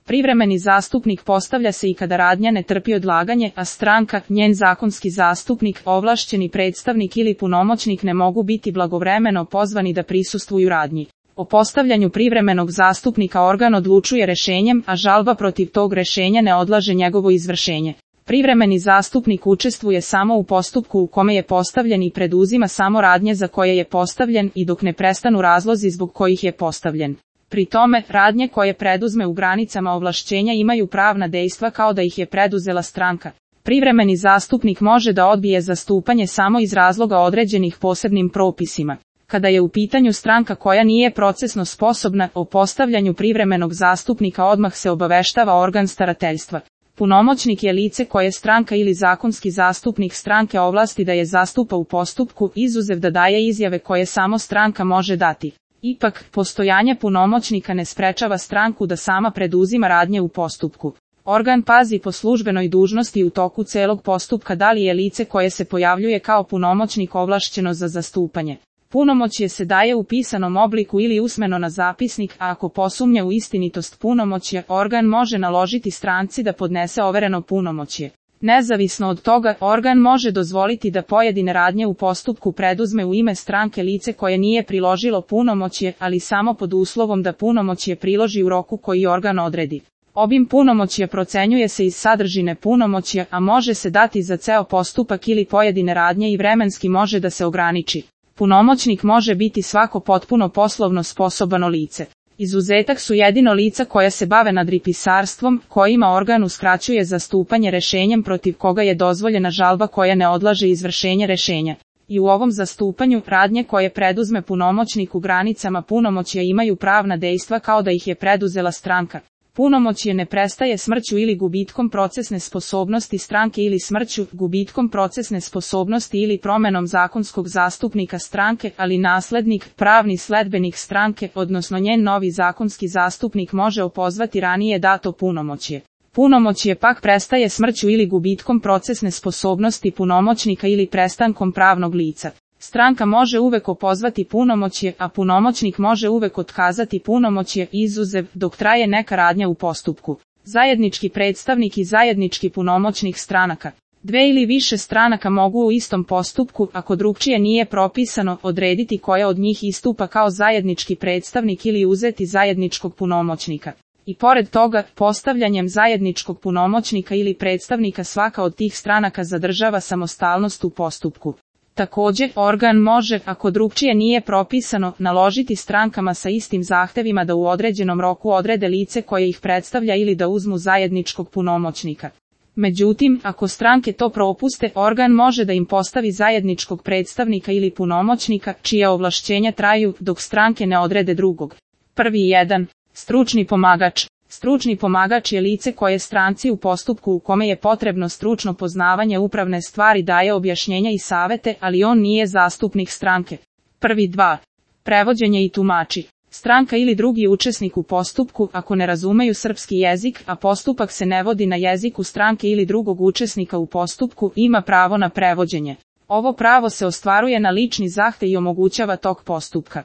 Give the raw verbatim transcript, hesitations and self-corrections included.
Privremeni zastupnik postavlja se i kada radnja ne trpi odlaganje, a stranka, njen zakonski zastupnik, ovlašćeni predstavnik ili punomoćnik ne mogu biti blagovremeno pozvani da prisustvuju radnji. O postavljanju privremenog zastupnika organ odlučuje rešenjem, a žalba protiv tog rešenja ne odlaže njegovo izvršenje. Privremeni zastupnik učestvuje samo u postupku u kome je postavljen i preduzima samo radnje za koje je postavljen i dok ne prestanu razlozi zbog kojih je postavljen. Pri tome, radnje koje preduzme u granicama ovlašćenja imaju pravna dejstva kao da ih je preduzela stranka. Privremeni zastupnik može da odbije zastupanje samo iz razloga određenih posebnim propisima. Kada je u pitanju stranka koja nije procesno sposobna, o postavljanju privremenog zastupnika odmah se obaveštava organ starateljstva. Punomoćnik je lice koje stranka ili zakonski zastupnik stranke ovlasti da je zastupa u postupku, izuzev da daje izjave koje samo stranka može dati. Ipak, postojanje punomoćnika ne sprečava stranku da sama preduzima radnje u postupku. Organ pazi po službenoj dužnosti u toku celog postupka da li je lice koje se pojavljuje kao punomoćnik ovlašćeno za zastupanje. Punomoćje se daje u pisanom obliku ili usmeno na zapisnik, a ako posumnja u istinitost punomoćja, organ može naložiti stranci da podnese overeno punomoćje. Nezavisno od toga, organ može dozvoliti da pojedine radnje u postupku preduzme u ime stranke lice koje nije priložilo punomoćje, ali samo pod uslovom da punomoćje priloži u roku koji organ odredi. Obim punomoćja procenjuje se iz sadržine punomoćja, a može se dati za ceo postupak ili pojedine radnje i vremenski može da se ograniči. Punomoćnik može biti svako potpuno poslovno sposobno lice. Izuzetak su jedino lica koja se bave nadripisarstvom, kojima organ uskraćuje zastupanje rešenjem protiv koga je dozvoljena žalba koja ne odlaže izvršenje rešenja. I u ovom zastupanju, radnje koje preduzme punomoćnik u granicama punomoćja imaju pravna dejstva kao da ih je preduzela stranka. Punomoćje ne prestaje smrću ili gubitkom procesne sposobnosti stranke ili smrću, gubitkom procesne sposobnosti ili promenom zakonskog zastupnika stranke, ali naslednik, pravni sledbenik stranke, odnosno njen novi zakonski zastupnik može opozvati ranije dato punomoćje. Punomoćje pak prestaje smrću ili gubitkom procesne sposobnosti punomoćnika ili prestankom pravnog lica. Stranka može uvek opozvati punomoćje, a punomoćnik može uvek otkazati punomoćje, izuzev dok traje neka radnja u postupku. Zajednički predstavnik i zajednički punomoćnik stranaka. Dve ili više stranaka mogu u istom postupku, ako drugčije nije propisano, odrediti koja od njih istupa kao zajednički predstavnik ili uzeti zajedničkog punomoćnika. I pored toga, postavljanjem zajedničkog punomoćnika ili predstavnika svaka od tih stranaka zadržava samostalnost u postupku. Također, organ može, ako drugčije nije propisano, naložiti strankama sa istim zahtevima da u određenom roku odrede lice koje ih predstavlja ili da uzmu zajedničkog punomoćnika. Međutim, ako stranke to propuste, organ može da im postavi zajedničkog predstavnika ili punomoćnika, čija ovlašćenja traju dok stranke ne odrede drugog. Prvi jedan. Stručni pomagač. Stručni pomagač je lice koje stranci u postupku u kome je potrebno stručno poznavanje upravne stvari daje objašnjenja i savete, ali on nije zastupnik stranke. Prvi dva. Prevođenje i tumači. Stranka ili drugi učesnik u postupku, ako ne razumeju srpski jezik, a postupak se ne vodi na jeziku stranke ili drugog učesnika u postupku, ima pravo na prevođenje. Ovo pravo se ostvaruje na lični zahtev i omogućava tok postupka.